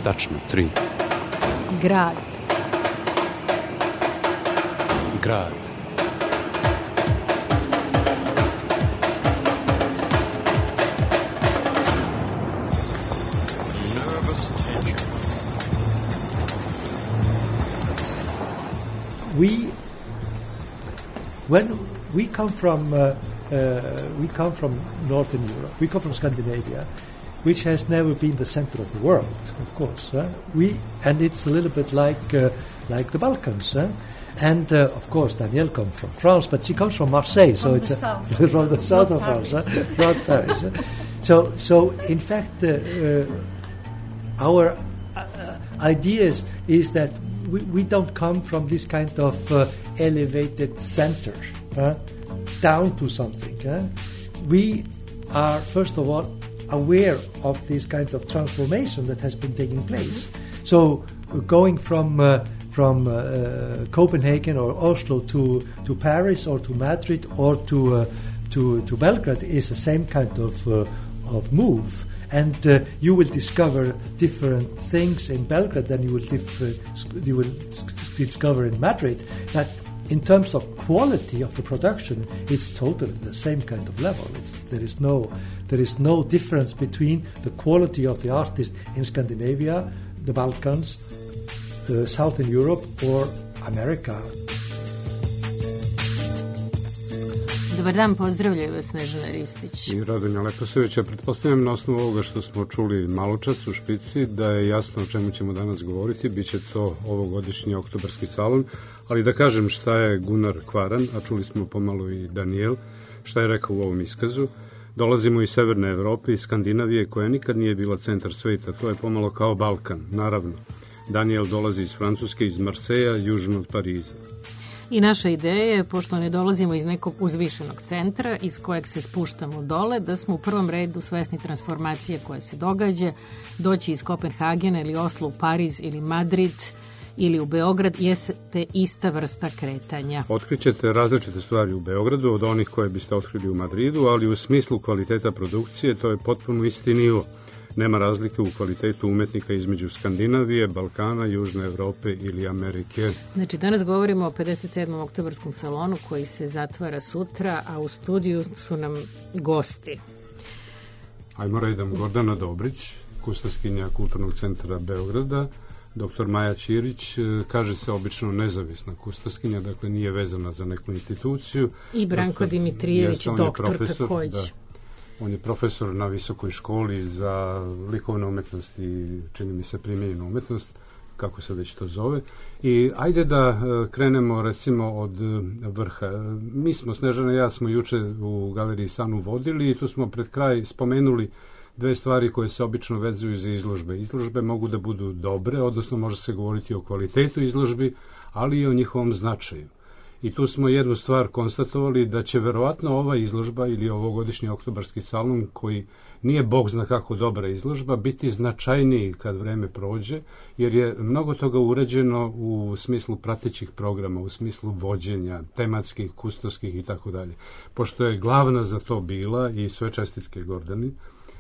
Tačno, 3. Grad. Grad. When we come from Northern Europe, we come from Scandinavia, which has never been the center of the world, of course. And it's a little bit like the Balkans. And of course, Danielle comes from France, but she comes from Marseille, so it's from the south of France, not Paris. So in fact, our ideas is that we don't come from this kind of elevated center down to something. We are, first of all, aware of this kind of transformation that has been taking place. So going from Copenhagen or Oslo to Paris or to Madrid or to Belgrade is the same kind of move. And you will discover different things in Belgrade than you will discover in Madrid. But in terms of quality of the production, it's totally the same kind of level. There is no difference between the quality of the artist in Scandinavia, the Balkans, Southern Europe, or America. Dobar dan, pozdravljaju vas Snežana Ristić. I Radonja Leposević. Ja pretpostavljam na osnovu ovoga što smo čuli malo čas u špici da je jasno o čemu ćemo danas govoriti. Biće to ovogodišnji oktobarski salon, ali da kažem šta je Gunnar Kvaran, a čuli smo pomalo i Daniel, šta je rekao u ovom iskazu. Dolazimo iz Severne Evrope, iz Skandinavije, koja nikad nije bila centar sveta, to je pomalo kao Balkan, naravno. Daniel dolazi iz Francuske, iz Marseja, južno od Pariza. I naša ideja je, pošto ne dolazimo iz nekog uzvišenog centra iz kojeg se spuštamo dole, da smo u prvom redu svesni transformacije koja se događa, doći iz Kopenhagena ili Oslo u Pariz ili Madrid ili u Beograd jeste ista vrsta kretanja. Otkrićete različite stvari u Beogradu od onih koje biste otkrili u Madridu, ali u smislu kvaliteta produkcije to je potpuno isti nivo. Nema razlike u kvalitetu umetnika između Skandinavije, Balkana, Južne Evrope ili Amerike. Znači, danas govorimo o 57. oktobarskom salonu koji se zatvara sutra, a u studiju su nam gosti. Ajmo redom. Gordana Dobrić, kustoskinja Kulturnog centra Beograda, dr. Maja Ćirić, kaže se obično nezavisna kustoskinja, dakle nije vezana za neku instituciju. I Branko Dimitrijević, doktor takođe. Da. On je profesor na visokoj školi za likovnu umetnost i čini mi se primijenjenu umetnost, kako se već to zove. I ajde da krenemo recimo od vrha. Mi smo, Snežana i ja, smo juče u Galeriji Sanu vodili i tu smo pred kraj spomenuli dve stvari koje se obično vezuju za izložbe. Izložbe mogu da budu dobre, odnosno može se govoriti o kvalitetu izložbi, ali i o njihovom značaju. I tu smo jednu stvar konstatovali, da će verovatno ova izložba ili ovogodišnji oktobarski salon, koji nije bog zna kako dobra izložba, biti značajniji kad vreme prođe, jer je mnogo toga urađeno u smislu pratećih programa, u smislu vođenja, tematskih, kustoskih i tako dalje. Pošto je glavna za to bila, i sve čestitke Gordani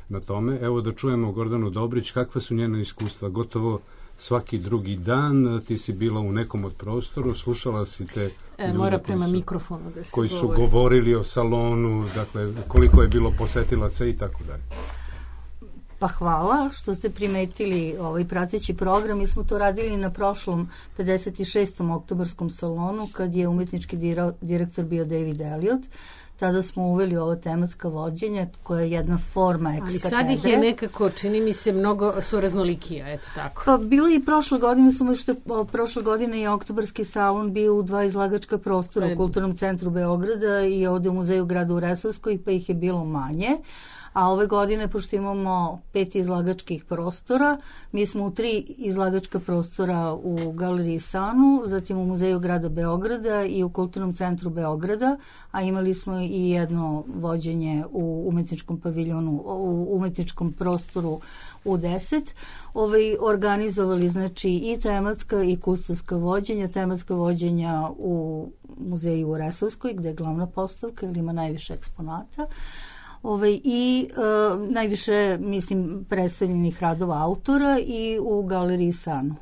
na tome, evo da čujemo Gordanu Dobrić, kakva su njena iskustva. Gotovo svaki drugi dan ti si bila u nekom od prostoru, slušala si te mora prema mikrofonu da se koji su govorili o salonu, dakle koliko je bilo posetilaca i tako dalje. Pa hvala što ste primetili ovaj prateći program. Mi smo to radili na prošlom 56. oktobarskom salonu kad je umetnički direktor bio David Elliot. Tada smo uveli ovo tematska vođenja koja je jedna forma ex-katedre. Ali sad ih je nekako, čini mi se, mnogo su raznolikija, eto tako. Pa bilo i prošle godine, samo što prošle godine je oktobarski salon bio u 2 izlagačka prostora u Kulturnom centru Beograda i ovde u Muzeju grada u Resavskoj, pa ih je bilo manje. A ove godine, pošto imamo 5 izlagačkih prostora, mi smo u 3 izlagačka prostora u Galeriji Sanu, zatim u Muzeju grada Beograda i u Kulturnom centru Beograda, a imali smo i jedno vođenje u umetničkom paviljonu, u umetničkom prostoru u 10. Organizovali znači i tematska i kustoska vođenja, tematska vođenja u Muzeju u Resavskoj, gde je glavna postavka ili ima najviše eksponata. I najviše, mislim, predstavljenih radova autora i u galeriji Sanu.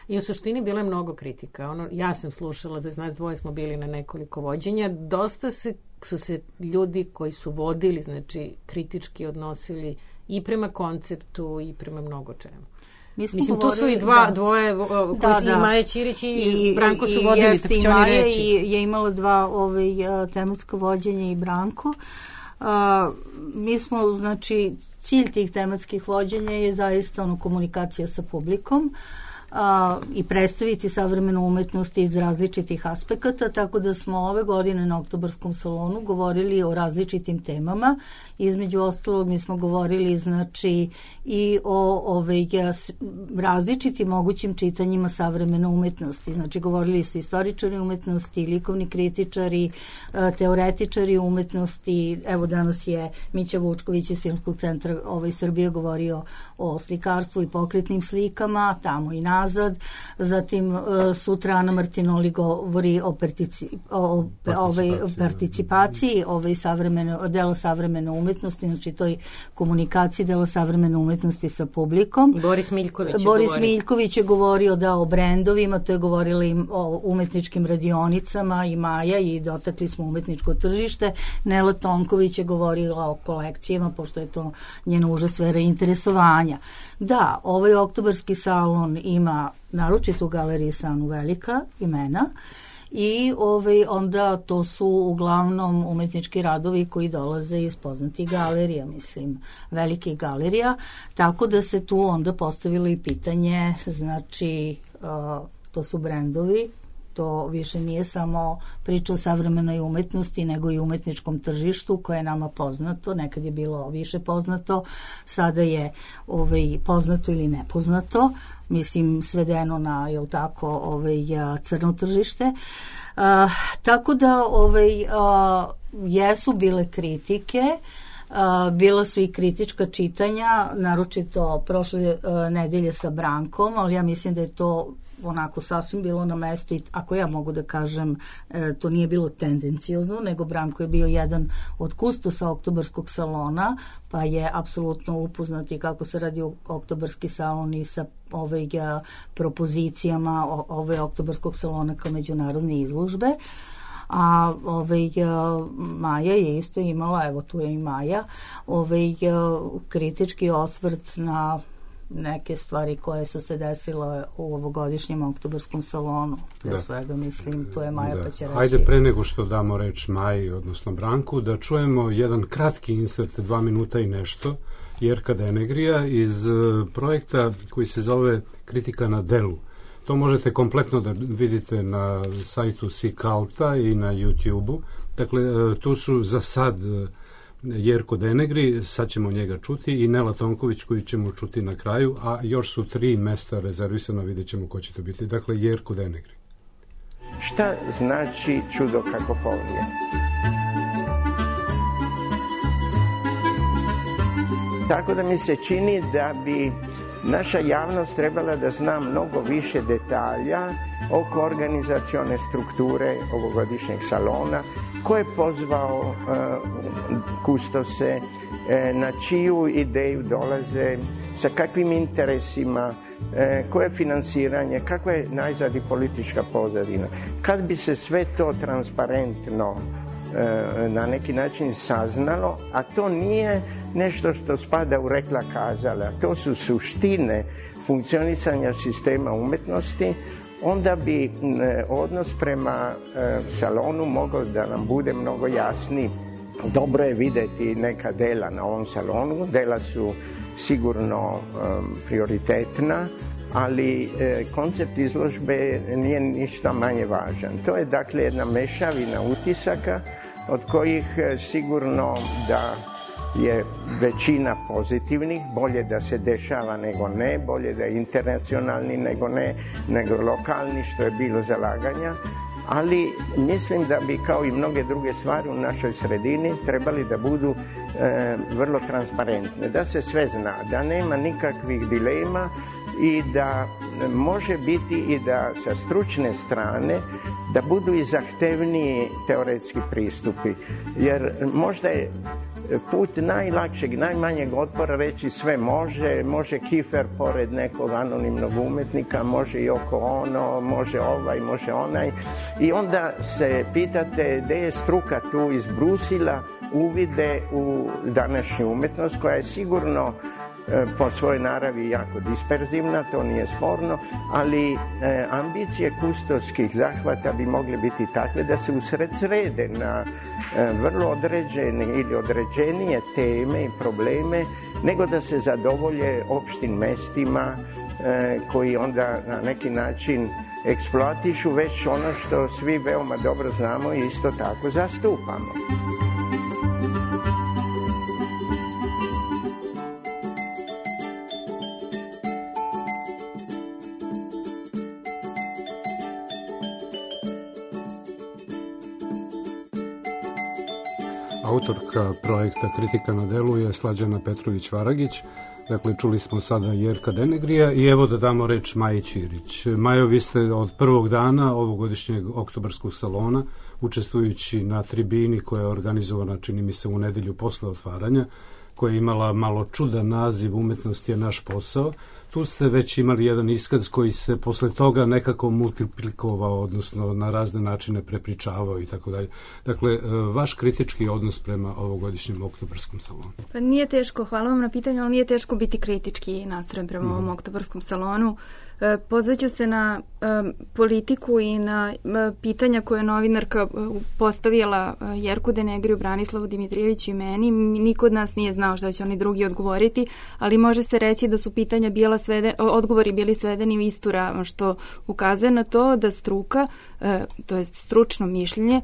I u suštini bilo je mnogo kritika. Ja sam slušala, da nas dvoje smo bili na nekoliko vođenja. Dosta su se ljudi koji su vodili, znači kritički odnosili i prema konceptu i prema mnogo čemu. Mislim, tu su i dvoje koji su i Maja Ćirić i Branko su vodili, jeste, i Maja je imala dva tematska vođenja i Branko. Mi smo, znači, cilj tih tematskih vođenja je zaista komunikacija sa publikom i predstaviti savremenu umetnost iz različitih aspekata, tako da smo ove godine na Oktobarskom salonu govorili o različitim temama. Između ostalog mi smo govorili, znači, i o različitim mogućim čitanjima savremene umetnosti. Znači, govorili su istoričari umetnosti, likovni kritičari, teoretičari umetnosti. Evo, danas je Mića Vučković iz Filmskog centra Srbije govorio o slikarstvu i pokretnim slikama, tamo i nazad. Zatim sutra Ana Martinoli govori o participaciji dela savremene umetnosti, znači toj komunikaciji dela savremene umetnosti sa publikom. Boris Miljković je govorio o brendovima, to je govorila i o umetničkim radionicama i Maja, i dotakli smo umetničko tržište. Nela Tonković je govorila o kolekcijama, pošto je to njena uža sfera interesovanja. Da, ovaj oktobarski salon ima naročito u galeriji Sanu velika imena i onda to su uglavnom umetnički radovi koji dolaze iz poznatih galerija, mislim, velikih galerija, tako da se tu onda postavilo i pitanje, znači, to su brendovi, to više nije samo priča o savremenoj umetnosti, nego i umetničkom tržištu koje je nama poznato, nekad je bilo više poznato, sada je poznato ili nepoznato, mislim, svedeno na, jel tako, crno tržište. Tako da jesu bile kritike, bila su i kritička čitanja, naročito prošle nedelje sa Brankom, ali ja mislim da je to onako sasvim bilo na mestu i ako ja mogu da kažem, to nije bilo tendenciozno, nego Branko je bio jedan od kustosa Oktobarskog salona, pa je apsolutno upoznat i kako se radi Oktobarski salon i sa propozicijama Oktobarskog salona kao međunarodne izložbe. A Maja je isto imala, evo tu je i Maja, kritički osvrt na neke stvari koje su se desile u ovogodišnjem Oktobarskom salonu. Pre svega, mislim, to je Maja pa će reći. Ajde, pre nego što damo reč Maji, odnosno Branku, da čujemo jedan kratki insert, 2 minuta i nešto, Jerka Denegrija iz projekta koji se zove Kritika na delu. To možete kompletno da vidite na sajtu Sikalta i na YouTube-u. Dakle, tu su za sad Jerko Denegri, sad ćemo njega čuti, i Nela Tonković koju ćemo čuti na kraju, a još su 3 mesta rezervisano, vidjet ćemo ko će to biti. Dakle, Jerko Denegri. Šta znači čudo kakofonije? Tako da mi se čini da bi naša javnost trebala da zna mnogo više detalja oko organizacione strukture ovogodišnjeg salona, ko je pozvao kustose, na čiju ideju dolaze, sa kakvim interesima, koje je finansiranje, kakva je najzad i politička pozadina. Kad bi se sve to transparentno na neki način saznalo, a to nije nešto što spada u rekla kazala, to su suštine funkcionisanja sistema umetnosti, onda bi odnos prema salonu mogao da nam bude mnogo jasniji. Dobro je videti neka dela na ovom salonu, dela su sigurno prioritetna, ali koncept izložbe nije ništa manje važan. To je dakle jedna mešavina utisaka od kojih sigurno da je većina pozitivnih, bolje da se dešava nego ne, bolje da je internacionalni nego ne, nego lokalni, što je bilo zalaganja, ali mislim da bi kao i mnoge druge stvari u našoj sredini trebali da budu vrlo transparentne, da se sve zna, da nema nikakvih dilema i da može biti i da sa stručne strane da budu i zahtevniji teoretski pristupi, jer možda je put najlakšeg, najmanjeg otpora reći sve može Kifer pored nekog anonimnog umetnika, može i oko ono, može ovaj, može onaj. I onda se pitate gde je struka tu izbrusila uvide u današnju umetnost koja je sigurno po svojoj naravi jako disperzivna, to nije sporno, ali ambicije kustovskih zahvata bi mogle biti takve da se usredsrede na vrlo određene ili određenije teme i probleme, nego da se zadovolje opštim mestima koji onda na neki način eksploatišu već ono što svi veoma dobro znamo i isto tako zastupamo. Autorka projekta Kritika na delu je Slađana Petrović-Varagić. Dakle, čuli smo sada Jerka Denegrija i evo da damo reč Maji Ćirić. Majo, vi ste od prvog dana ovogodišnjeg oktobarskog salona, učestvujući na tribini koja je organizovana, čini mi se, u nedelju posle otvaranja, koja je imala malo čudan naziv Umetnost je naš posao. Tu ste već imali jedan iskaz koji se posle toga nekako multiplikovao, odnosno na razne načine prepričavao i tako dalje. Dakle, vaš kritički odnos prema ovogodišnjem oktobarskom salonu? Pa nije teško, hvala vam na pitanju, ali nije teško biti kritički nastrojen prema ovom oktobarskom salonu. Pozvaću se na politiku i na pitanja koje je novinarka postavila Jerku Denegriju, Branislavu Dimitrijeviću i meni. Niko od nas nije znao šta će oni drugi odgovoriti, ali može se reći da su pitanja bila odgovori bili svedeni u istu ravan, što ukazuje na to da struka, to jest stručno mišljenje,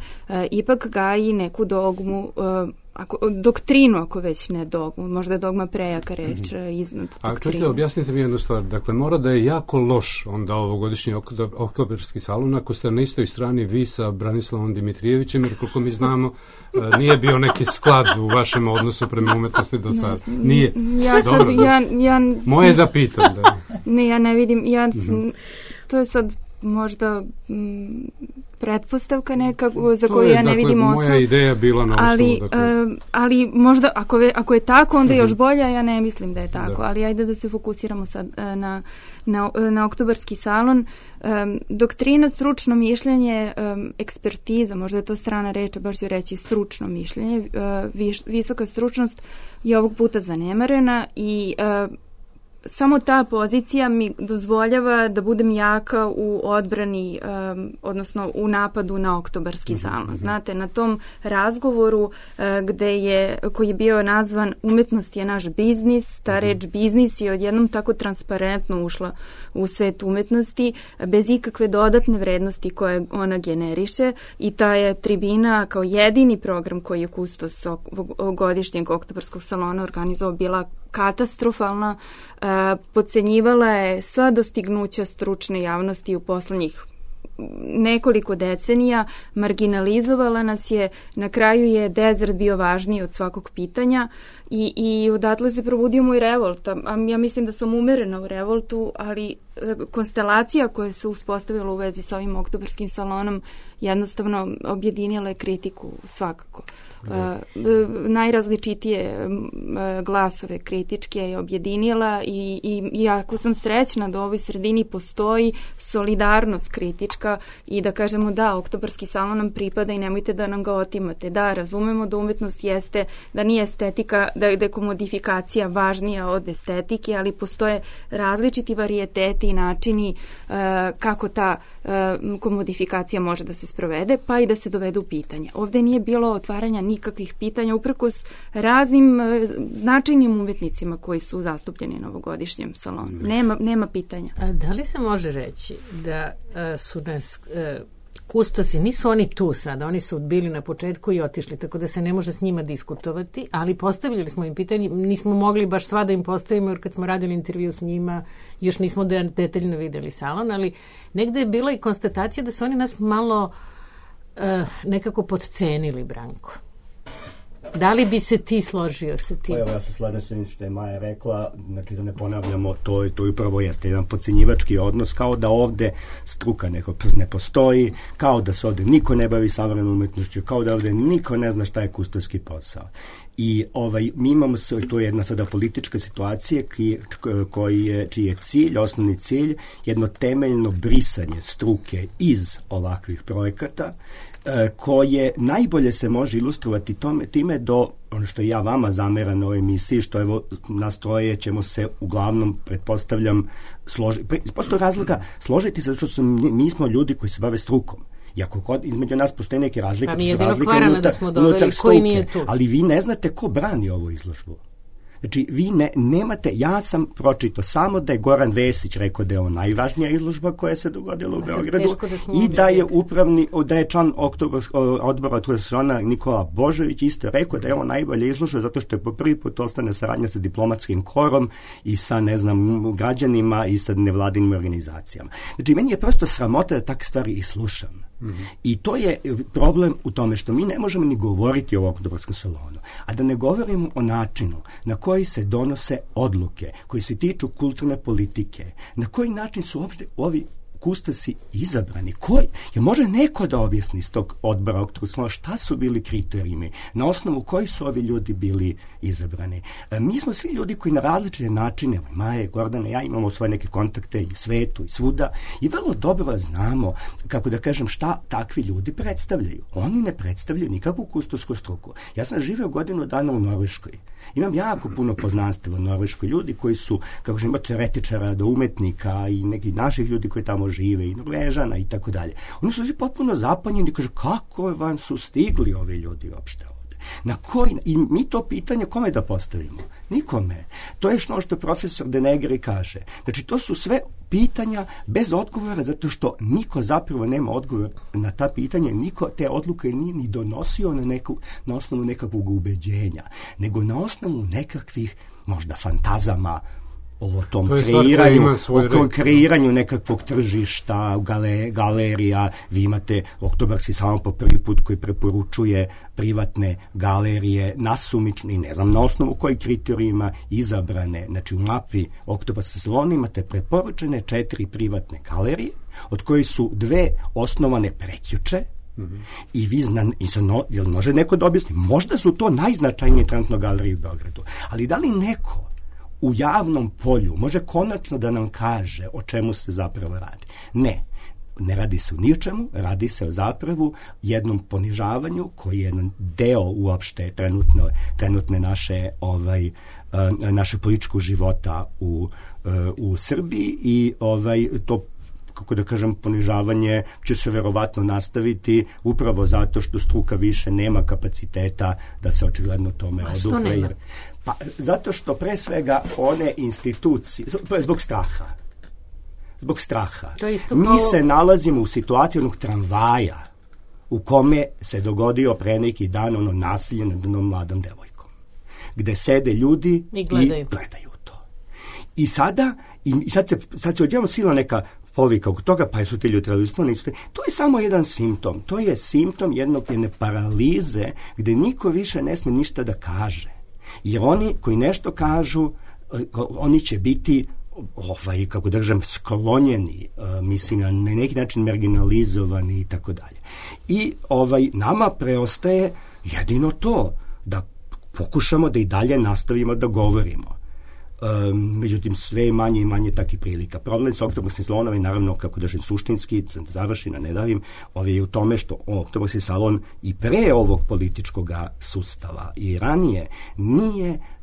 ipak gaji neku dogmu, doktrinu, ako već ne dogmu, možda je dogma prejaka reč iznad doktrine. A čujte, objasnite mi jednu stvar, dakle mora da je jako loš onda ovogodišnji oktobarski salon ako ste na istoj strani vi sa Branislavom Dimitrijevićem, jer koliko mi znamo nije bio neki sklad u vašem odnosu prema umetnosti do sada. Nije. Moje da pitam. Da. Ne, ja ne vidim, to je sad možda pretpostavka neka za koju ja ne vidim osnov. Moja ideja bila na osnovu. Ali možda ako je tako, onda još bolja, ja ne mislim da je tako. Ali ajde da se fokusiramo sad na oktobarski salon. Doktrina, stručno mišljenje, ekspertiza, možda je to strana reč, baš ću reći stručno mišljenje, visoka stručnost je ovog puta zanemarena i samo ta pozicija mi dozvoljava da budem jaka u odbrani, odnosno u napadu na oktobarski salon. Znate, na tom razgovoru koji je bio nazvan Umetnost je naš biznis, ta reč biznis je odjednom tako transparentno ušla u svet umetnosti, bez ikakve dodatne vrednosti koje ona generiše, i ta je tribina kao jedini program koji je kustos godišnjeg oktobarskog salona organizovao bila katastrofalna, podcenjivala je sva dostignuća stručne javnosti u poslednjih nekoliko decenija, marginalizovala nas je, na kraju je dezert bio važniji od svakog pitanja i odatle se probudio moj revolt. Ja mislim da sam umerena u revoltu, ali konstelacija koja se uspostavila u vezi sa ovim oktobarskim salonom jednostavno objedinila je kritiku svakako. Najrazličitije glasove kritičke je objedinila i jako sam srećna da u ovoj sredini postoji solidarnost kritička i da kažemo da, oktobarski salon nam pripada i nemojte da nam ga otimate. Da, razumemo da umetnost jeste, da nije estetika, da je komodifikacija važnija od estetike, ali postoje različiti varijeteti i načini kako ta komodifikacija može da se sprovede, pa i da se dovede u pitanje. Ovde nije bilo otvaranja nikakvih pitanja, uprkos raznim značajnim umetnicima koji su zastupljeni na ovogodišnjem salonu. Nema pitanja. A da li se može reći da su nas kustosi, nisu oni tu sada, oni su bili na početku i otišli, tako da se ne može s njima diskutovati, ali postavljali smo im pitanje, nismo mogli baš sva da im postavimo, jer kad smo radili intervju s njima, još nismo detaljno videli salon, ali negde je bila i konstatacija da su oni nas malo nekako podcenili, Branko. Da li bi se ti složio sa tim? Evo, ja se slažem sa što je Maja rekla, znači da ne ponavljamo, to upravo jeste jedan podcenjivački odnos, kao da ovde struka ne postoji, kao da se ovde niko ne bavi savremenom umetnošću, kao da ovde niko ne zna šta je kustoski posao. I mi imamo, to je jedna sada politička situacija čiji je cilj, osnovni cilj, jedno temeljno brisanje struke iz ovakvih projekata, koje najbolje se može ilustrovati time do ono što ja vama zameram na ovoj emisiji, što evo nas troje ćemo se uglavnom, pretpostavljam, postoji razlika složiti se, zato što mi smo ljudi koji se bave strukom. Iako između nas postoje neke razlike, pa mi je unutar struke, ali vi ne znate ko brani ovu izložbu. Znači, vi nemate, ja sam pročitao samo da je Goran Vesić rekao da je ovo najvažnija izložba koja se dogodila u Beogradu i da je član odbora Otvorena Nikola Božović isto rekao da je ovo najbolja izložba zato što je po prvi put ostane saradnja sa diplomatskim korom i sa, građanima i sa nevladinim organizacijama. Znači, meni je prosto sramota da takve stvari i slušam. I to je problem u tome što mi ne možemo ni govoriti o Oktobarskom salonu, a da ne govorimo o načinu na koji se donose odluke koji se tiču kulturne politike, na koji način su uopšte ovi kustosi izabrani. Je može neko da objasni iz tog odbora Oktobarskog salona šta su bili kriterijumi, na osnovu koji su ovi ljudi bili izabrani. Mi smo svi ljudi koji na različite načine, Maja, Gordana, ja imamo svoje neke kontakte i u svetu i svuda i vrlo dobro znamo, kako da kažem, šta takvi ljudi predstavljaju. Oni ne predstavljaju nikakvu kustosku struku. Ja sam živeo godinu dana u Norveškoj. Imam jako puno poznanstva u Norveškoj. Ljudi koji su, kako žem, od teoretičara do umetnika i nekih naših ljudi koji tamo žive i Norvežana i tako dalje. Oni su svi potpuno zapanjeni i kažu kako vam su stigli ovi ljudi uopšte ovde. I mi to pitanje kome da postavimo? Nikome. To je što profesor De Negri kaže. Znači, to su sve pitanja bez odgovora, zato što niko zapravo nema odgovor na ta pitanja, niko te odluke nije ni donosio na osnovu nekakvog ubeđenja, nego na osnovu nekakvih možda fantazama o tom kreiranju nekakvog tržišta, galerija. Vi imate Oktobarski salon po prvi put koji preporučuje privatne galerije nasumično i ne znam na osnovu kojih kriterijima izabrane. Znači u mapi Oktobarskog salona imate preporučene 4 privatne galerije, od kojih su 2 osnovane prekjuče. I vi jel može neko da objasni? Možda su to najznačajnije trenutno galerije u Beogradu, ali da li neko u javnom polju može konačno da nam kaže o čemu se zapravo radi? Ne radi se o ničemu, radi se o zapravo jednom ponižavanju koji je jedan deo uopšte trenutne naše političkog života u Srbiji i to, kako da kažem, ponižavanje će se verovatno nastaviti upravo zato što struka više nema kapaciteta da se očigledno tome odupre. Pa, zato što pre svega one institucije, zbog straha. Mi se nalazimo u situaciji onog tramvaja u kome se dogodio pre neki dan nasilje nad jednom mladom devojkom, gde sede ljudi i gledaju to. I sad se odjednom sila neka povika oko toga, pa su ti ljudi trebali to je samo jedan simptom. To je simptom jedne paralize gde niko više ne sme ništa da kaže. Jer oni koji nešto kažu, oni će biti kako da kažem, sklonjeni, mislim, na neki način marginalizovani i tako dalje. I nama preostaje jedino to, da pokušamo da i dalje nastavimo da govorimo. Međutim, sve je manje i manje takih prilika. Problem sa Oktobarskim salonom je naravno, kako da suštinski, završi na nedavim, je u tome što Oktobarski salon i pre ovog političkog sustava i ranije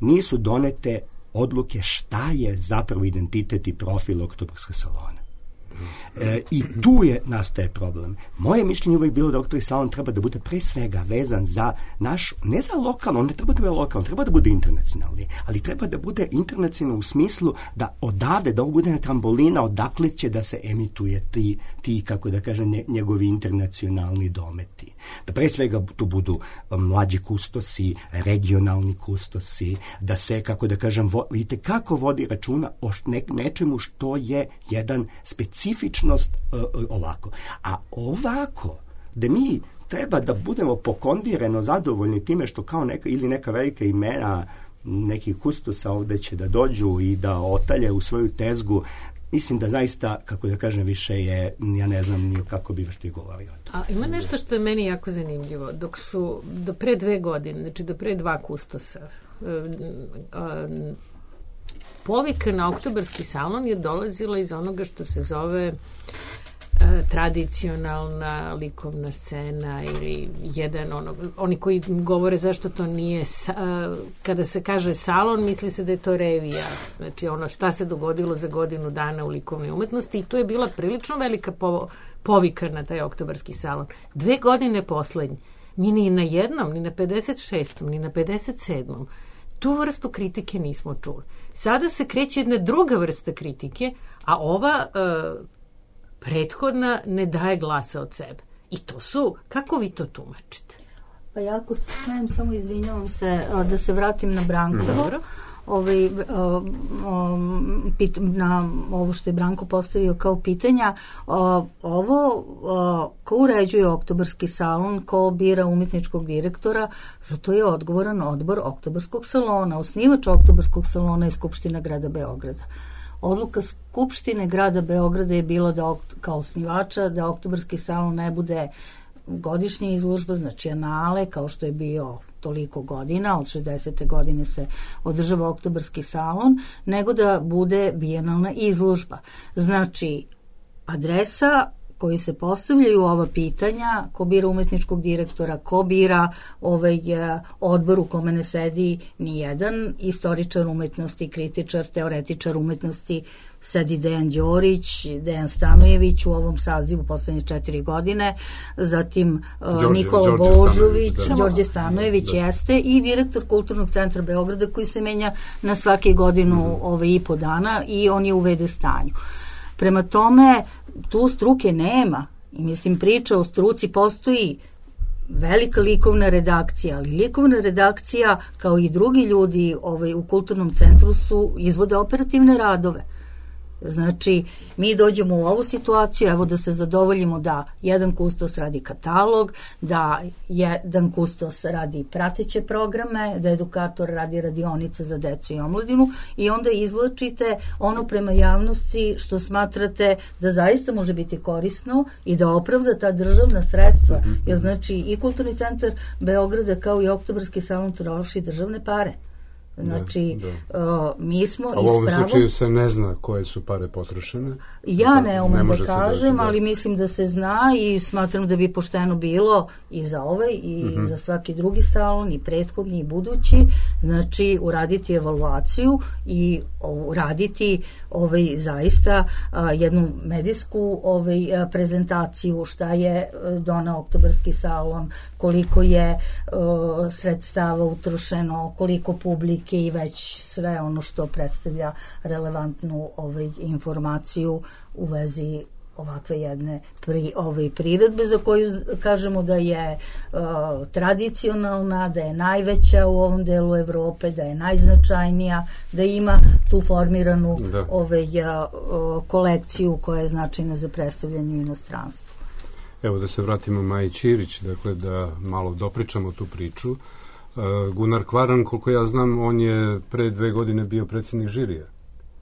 nisu donete odluke šta je zapravo identitet i profil Oktobarskog salona. I tu nastaje problem. Moje mišljenje uvijek bilo da Oktobarski salon treba da bude pre svega vezan za naš, ne za lokalno, on ne treba da bude lokalno, treba da bude internacionalni, ali treba da bude internacionalno u smislu da odavde, da ovo bude na trambolina, odakle će da se emituje ti kako da kažem, njegovi internacionalni dometi. Da pre svega tu budu mlađi kustosi, regionalni kustosi, da se, kako da kažem, vidite kako vodi računa o nečemu što je jedan specifičnost ovako. A ovako, da mi treba da budemo pokondireno zadovoljni time što kao neka velika imena nekih kustosa ovde će da dođu i da otalje u svoju tezgu. Mislim da zaista, kako da kažem, više je, ja ne znam ni kako bi što i govorio. A ima nešto što je meni jako zanimljivo. Dok su do pre 2 godine, znači do pre 2 kustosa, povika na Oktobarski salon je dolazila iz onoga što se zove tradicionalna likovna scena ili oni koji govore zašto to nije kada se kaže salon, misli se da je to revija, znači ono šta se dogodilo za godinu dana u likovnoj umetnosti, i to je bila prilično velika povika na taj Oktobarski salon. 2 godine poslednje, mi ni na jednom, ni na 56. ni na 57. tu vrstu kritike nismo čuli. Sada se kreće jedna druga vrsta kritike, a ova prethodna ne daje glasa od sebe. I to su, kako vi to tumačite? Pa jako smijem, samo izvinjavam se, da se vratim na Brankovo. Na ovo što je Branko postavio kao pitanja, ovo ko uređuje Oktobarski salon, ko bira umetničkog direktora, za to je odgovoran odbor Oktobarskog salona. Osnivač Oktobarskog salona je Skupština grada Beograda. Odluka Skupštine grada Beograda je bila da kao osnivača da Oktobarski salon ne bude godišnja izložba, znači anale, kao što je bio toliko godina, od 60. godine se održava Oktobarski salon, nego da bude bijenalna izložba. Znači, adresa koji se postavljaju ova pitanja, ko bira umetničkog direktora, ko bira odbor u kome ne sedi ni jedan istoričar umetnosti, kritičar, teoretičar umetnosti, sedi Dejan Đorić, Dejan Stanojević u ovom sazivu poslednje 4 godine, zatim Nikola Božović, Đorđe Stanojević jeste i direktor Kulturnog centra Beograda koji se menja na svake godinu i po dana i on je u VD stanju. Prema tome, tu struke nema i mislim priča o struci postoji velika likovna redakcija, ali likovna redakcija kao i drugi ljudi u kulturnom centru izvode operativne radove. Znači, mi dođemo u ovu situaciju, evo da se zadovoljimo da jedan kustos radi katalog, da jedan kustos radi prateće programe, da edukator radi radionice za decu i omladinu i onda izvlačite ono prema javnosti što smatrate da zaista može biti korisno i da opravda ta državna sredstva. Jer znači i Kulturni centar Beograda kao i Oktobarski salon troši državne pare. Znači, mi smo a u ovom slučaju se ne zna koje su pare potrošene? Ja ne umem da kažem, ali mislim da se zna i smatram da bi pošteno bilo i za ovaj i za svaki drugi salon, i prethodni i budući, znači uraditi evaluaciju i uraditi zaista jednu medijsku prezentaciju šta je doneo Oktobarski salon, koliko je sredstava utrošeno, koliko publike i već sve ono što predstavlja relevantnu informaciju u vezi ovakve jedne priredbe za koju kažemo da je tradicionalna, da je najveća u ovom delu Evrope, da je najznačajnija, da ima tu formiranu kolekciju koja je značajna za predstavljanje u inostranstvu. Evo da se vratimo Maji Ćirić, dakle da malo dopričamo tu priču. Gunnar Kvaran, koliko ja znam, on je pre 2 godine bio predsjednik žirija,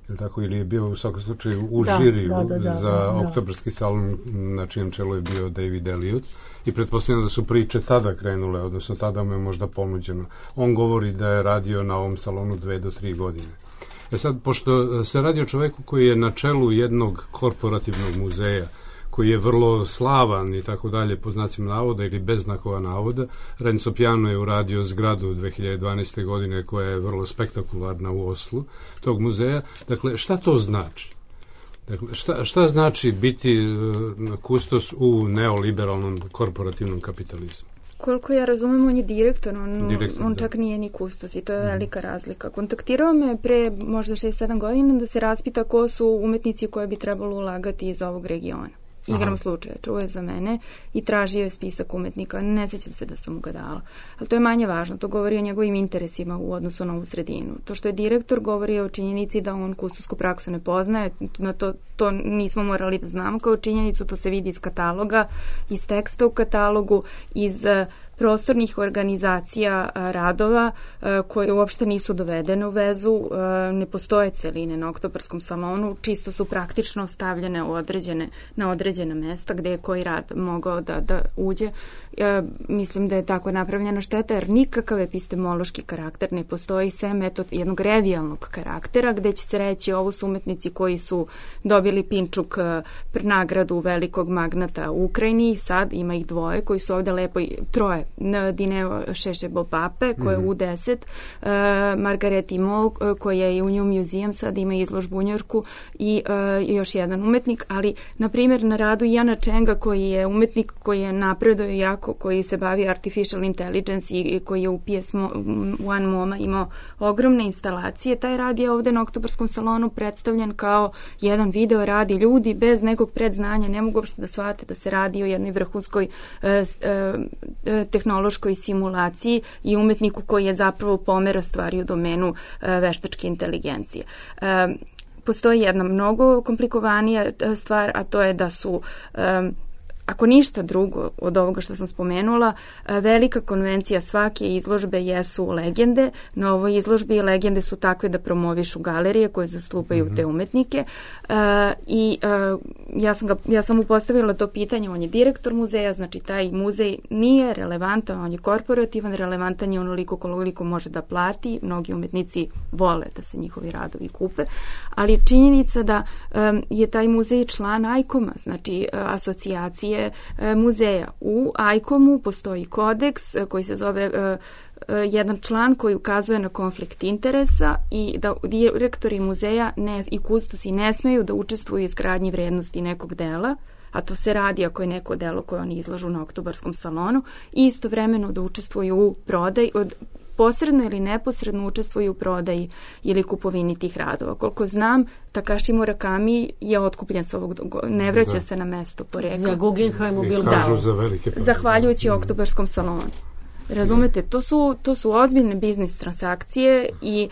je tako, ili je bio u svakom slučaju u žiriju za Oktobarski salon, na čijem čelu je bio David Elliot, i pretpostavljam da su priče tada krenule, odnosno tada mu je možda ponuđeno. On govori da je radio na ovom salonu 2 do 3 godine. Sad, pošto se radi o čoveku koji je na čelu jednog korporativnog muzeja, koji je vrlo slavan i tako dalje, po znacima navoda ili bez znakova navoda, Renzo Piano je uradio zgradu 2012. godine koja je vrlo spektakularna u Oslu tog muzeja. Dakle, šta to znači? Dakle, šta znači biti kustos u neoliberalnom korporativnom kapitalizmu? Koliko ja razumem, on je direktor, on čak nije ni kustos i to je velika razlika. Kontaktirao me pre možda 6-7 godina da se raspita ko su umetnici koje bi trebalo ulagati iz ovog regiona. igrom slučaja, čuo je za mene i tražio je spisak umetnika. Ne sećam se da sam mu ga dala. Ali to je manje važno. To govori o njegovim interesima u odnosu na ovu sredinu. To što je direktor govori o činjenici da on kustosku praksu ne poznaje, na to nismo morali da znamo kao činjenicu, to se vidi iz kataloga, iz teksta u katalogu, iz prostornih organizacija radova koje uopšte nisu dovedene u vezu, ne postoje celine na Oktobarskom salonu, čisto su praktično stavljene na određena mesta gde je koji rad mogao da uđe. Mislim da je tako napravljena šteta, jer nikakav epistemološki karakter ne postoji, sem jednog revijalnog karaktera, gde će se reći ovo su umetnici koji su dobili Pinčuk nagradu velikog magnata u Ukrajini, sad ima ih dvoje koji su ovde lepo, troje, Dineo Šešebo-Pape, koja je U10, Margaret Imo, koja je u New Museum, sad ima izložbu u Njorku, i još jedan umetnik, ali, na primjer, na radu Iana Chenga, koji je umetnik koji je napredao jako, koji se bavi artificial intelligence i koji je u PS One MoMA imao ogromne instalacije, taj rad je ovde na Oktobarskom salonu predstavljen kao jedan video rad i ljudi bez nekog predznanja ne mogu uopšte da shvate da se radi o jednoj vrhunskoj tehnološkoj simulaciji i umetniku koji je zapravo pomera stvari u domenu veštačke inteligencije. Postoji jedna mnogo komplikovanija stvar, a to je da su ako ništa drugo od ovoga što sam spomenula, velika konvencija svake izložbe jesu legende. Na ovoj izložbi legende su takve da promovišu galerije koje zastupaju te umetnike. I ja sam mu postavila to pitanje, on je direktor muzeja, znači taj muzej nije relevantan, on je korporativan, relevantan je onoliko koliko može da plati, mnogi umetnici vole da se njihovi radovi kupe, ali činjenica da je taj muzej član ICOM-a, znači asocijacije muzeja. U ICOM-u postoji kodeks koji se zove jedan član koji ukazuje na konflikt interesa i da direktori muzeja i kustosi ne smeju da učestvuju u izgradnji vrednosti nekog dela, a to se radi ako je neko delo koje oni izlažu na Oktobarskom salonu, i istovremeno da učestvuju u prodaji, posredno ili neposredno učestvuju u prodaji ili kupovini tih radova. Koliko znam, Takashi Murakami je otkupljen s ovog, ne vraća se na mesto porekla. Za Guggenheim u Bilbao. Kažu za velike prodaje. Zahvaljujući Oktobarskom salonu. Razumete, to su ozbiljne biznis transakcije i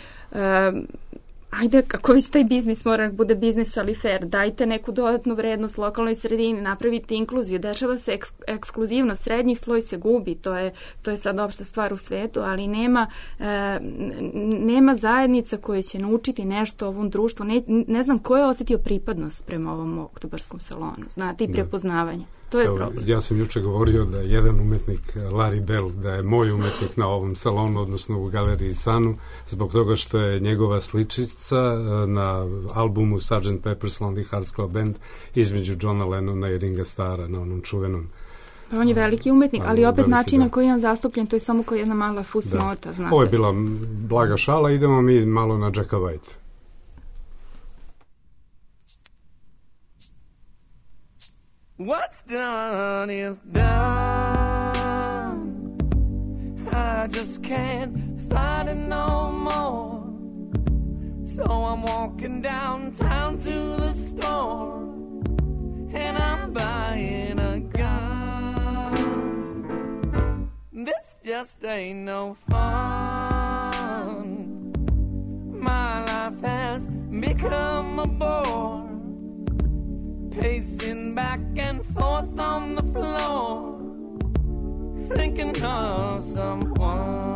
ajde, ako već taj biznis mora da bude biznis, ali fair, dajte neku dodatnu vrednost lokalnoj sredini, napravite inkluziju, dešava se ekskluzivno, srednji sloj se gubi, to je sad opšta stvar u svetu, ali nema zajednica koje će naučiti nešto ovom društvu, ne znam ko je osetio pripadnost prema ovom Oktobarskom salonu, znate, i prepoznavanje. To je problem. Ja sam juče govorio da je jedan umetnik, Larry Bell, da je moj umetnik na ovom salonu, odnosno u galeriji Sanu, zbog toga što je njegova sličica na albumu Sgt. Pepper's Lonely Hearts Club Band između Johna Lennona i Ringa Starra na onom čuvenom. Pa on je veliki umetnik, ali opet način na koji je on zastupljen, to je samo kao jedna mala fusnota. Znate. Ovo je bila blaga šala, idemo mi malo na Jacka White. What's done is done. I just can't find it no more. So I'm walking downtown to the store, and I'm buying a gun. This just ain't no fun. My life has become a bore, pacing back and forth on the floor, thinking of someone.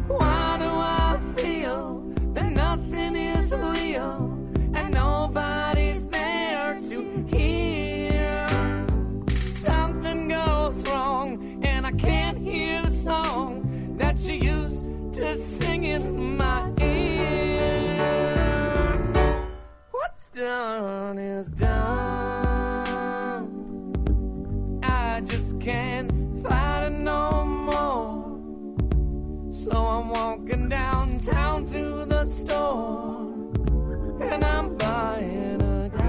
Why do I feel that nothing is real and nobody's there to hear? Something goes wrong and I can't hear the song that you used to sing in my ear. What's done is done. I just can't fight it no more. So I'm walking downtown to the store, and I'm buying a gun.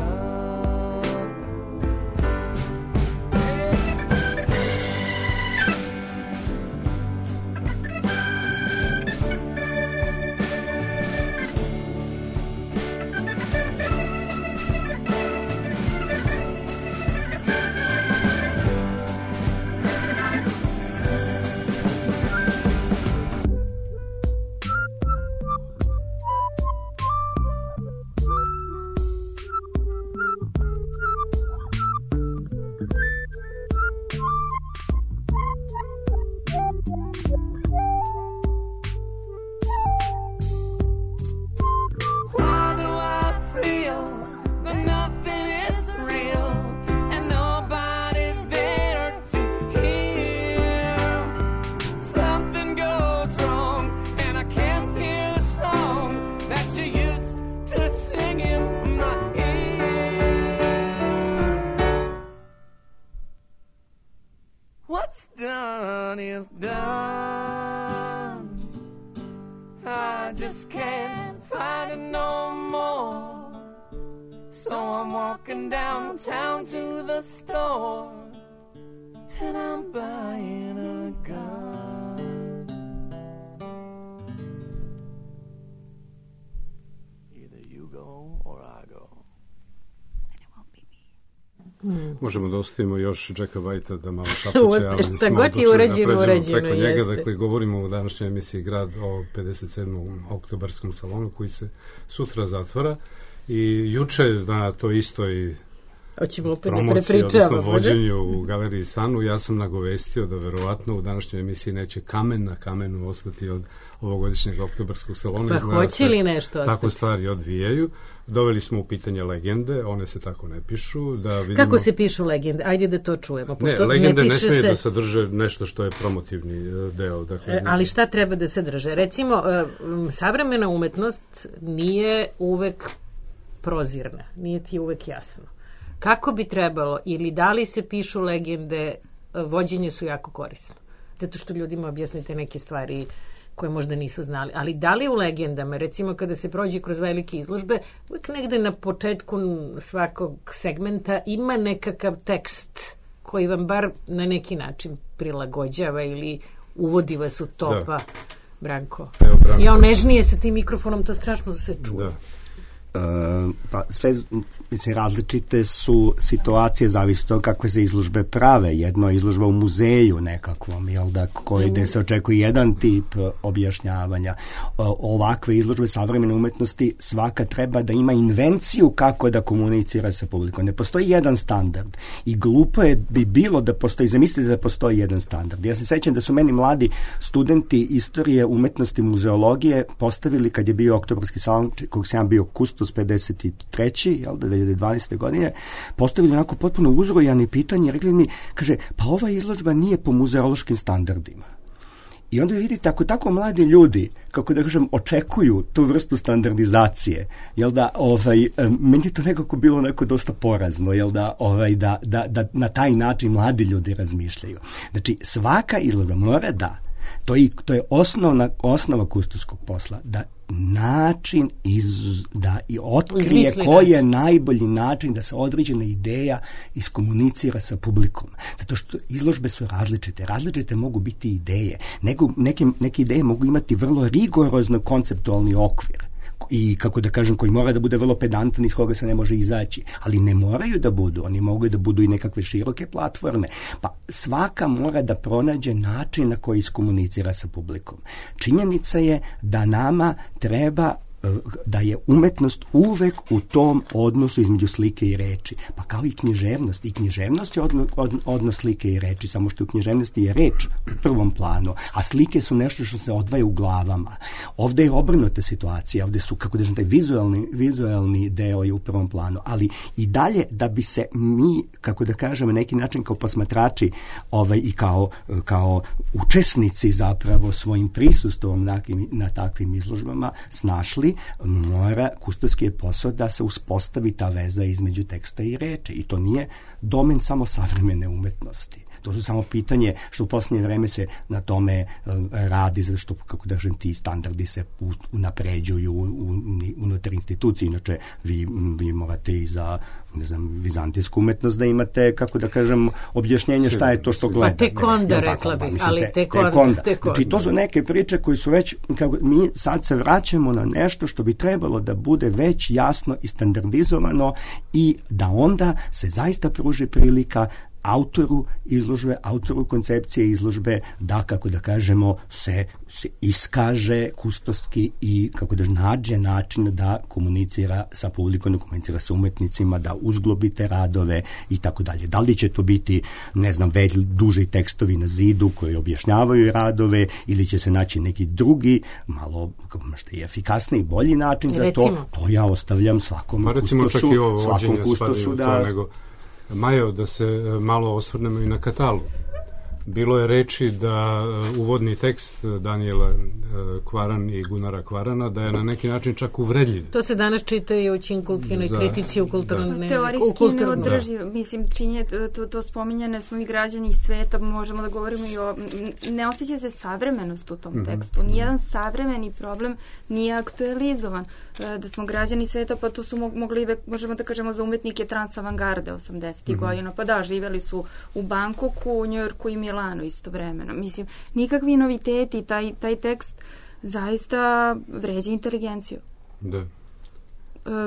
going downtown to the store, and I'm buying a gun. Either you go or I go. Možemo da ostavimo još Jacka Whitea da malo šapuće, ali šta god je urađeno preko njega. jeste. Dakle, govorimo u današnjoj emisiji Grad o 57. oktobarskom salonu koji se sutra zatvara i juče na to istoj promociji, odnosno vođenju u Galeriji Sanu, ja sam nagovestio da verovatno u današnjoj emisiji neće kamen na kamenu ostati od ovogodišnjeg oktobarskog salona. Pa hoće li nešto ostati? Tako stvari odvijaju. Doveli smo u pitanje legende, one se tako ne pišu. Da vidimo... Kako se pišu legende? Ajde da to čujemo. Pošto legende ne smije da sadrže nešto što je promotivni deo. Dakle, ali šta treba da sadrže? Recimo, savremena umetnost nije uvek prozirna, nije ti uvek jasno. Kako bi trebalo, ili da li se pišu legende, vođenje su jako korisno. Zato što ljudima objasnite neke stvari koje možda nisu znali. Ali da li u legendama, recimo kada se prođe kroz velike izložbe, uvijek negde na početku svakog segmenta ima nekakav tekst koji vam bar na neki način prilagođava ili uvodi vas u to, pa Branko. Evo, Branko. Ja nežnije sa tim mikrofonom, to strašno se čuje. Da. Pa sve, mislim, različite su situacije, zavisi od toga kakve se izložbe prave. Jedno je izložba u muzeju nekakvom, jel da, gde se očekuje jedan tip objašnjavanja. Ovakve izložbe savremene umetnosti svaka treba da ima invenciju kako da komunicira sa publikom. Ne postoji jedan standard i glupo je bi bilo da postoji, zamislite da postoji jedan standard. Ja se sećam da su meni mladi studenti istorije umetnosti muzeologije postavili, kad je bio oktobarski salon, kog sam bio kustos 53. jel da, 2012. godine, postavili onako potpuno uzrojani pitanje, rekli mi, kaže, pa ova izložba nije po muzeološkim standardima. I onda vidite, ako tako mladi ljudi, kako da kažem, očekuju tu vrstu standardizacije, jel da, meni je to nekako bilo onako dosta porazno, jel da, da na taj način mladi ljudi razmišljaju. Znači, svaka izložba mora to je osnova kustoskog posla, da način da i otkrije koji je najbolji način da se određena ideja iskomunicira sa publikom. Zato što izložbe su različite mogu biti ideje. Neke ideje mogu imati vrlo rigorozno konceptualni okvir i, kako da kažem, koji mora da bude vrlo pedantan, iz koga se ne može izaći. Ali ne moraju da budu, oni mogu da budu i nekakve široke platforme. Pa svaka mora da pronađe način na koji iskomunicira sa publikom. Činjenica je da nama treba da je umetnost uvek u tom odnosu između slike i reči. Pa kao i književnost. I književnost je odnos slike i reči, samo što u književnosti je reč u prvom planu, a slike su nešto što se odvaja u glavama. Ovde je obrnuta situacija, ovde su, kako da kažem, taj vizualni deo je u prvom planu, ali i dalje da bi se mi, kako da kažem, na neki način kao posmatrači i kao učesnici zapravo svojim prisustvom na takvim izložbama snašli, mora, kustoski je posao da se uspostavi ta veza između teksta i reči. I to nije domen samo savremene umetnosti. To su samo pitanje što u posljednje vreme se na tome radi, zato što, kako da kažem, ti standardi se unapređuju unutar institucije. Inače, vi morate i za, ne znam, vizantijsku umetnost da imate, kako da kažem, objašnjenje šta je to što gledate. Pa tek onda, rekla bih, ali tek onda. Znači, to su neke priče koje su već, kako mi sad se vraćamo na nešto što bi trebalo da bude već jasno i standardizovano i da onda se zaista pruži prilika autoru izložbe, autoru koncepcije izložbe da, kako da kažemo, se iskaže kustoski i, kako da nađe način da komunicira sa publikom, da komunicira sa umetnicima, da uzglobite radove i tako dalje. Da li će to biti, ne znam, duži tekstovi na zidu koji objašnjavaju radove ili će se naći neki drugi, malo možda i efikasniji, bolji način za to, to ja ostavljam svakom kustosu da... Majo, da se malo osvrnemo i na Katalu. Bilo je reči da uvodni tekst Danijela Kvaran i Gunara Kvarana da je na neki način čak uvredljiv. To se danas čita i u Činkulkinoj kritici u kulturnom. Teorijski neodrživ. Mislim, to spominjane smo i građani iz sveta, možemo da govorimo i o... Ne osjeća se savremenost u tom tekstu. Nijedan savremeni problem nije aktualizovan. da smo građani sveta, pa to su mogli, možemo da kažemo, za umetnike transavangarde 80. godina. Pa da, živjeli su u Bangkoku, Njujorku i Milanu istovremeno. Mislim, nikakvi noviteti, taj tekst zaista vređa inteligenciju. Da.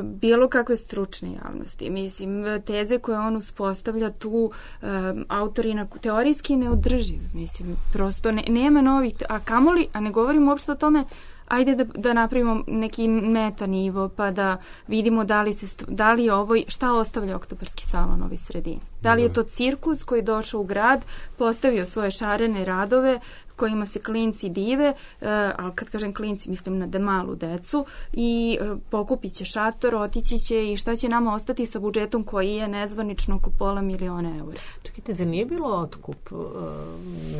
Bilo kakve stručne javnosti. Mislim, teze koje on uspostavlja tu, autori teorijski neodrživ. Mislim, prosto nema novih, a kamoli, a ne govorimo uopšte o tome, ajde da napravimo neki meta nivo, pa da vidimo da li je ovo, šta ostavlja Oktobarski salon ovoj sredini. Da li je to cirkus koji je došao u grad, postavio svoje šarene radove, kojima se klinci dive, ali kad kažem klinci, mislim na malu decu, i pokupit će šator, otići će i šta će nama ostati sa budžetom koji je nezvanično oko $500.000 eura. Čekajte, zar nije bilo otkup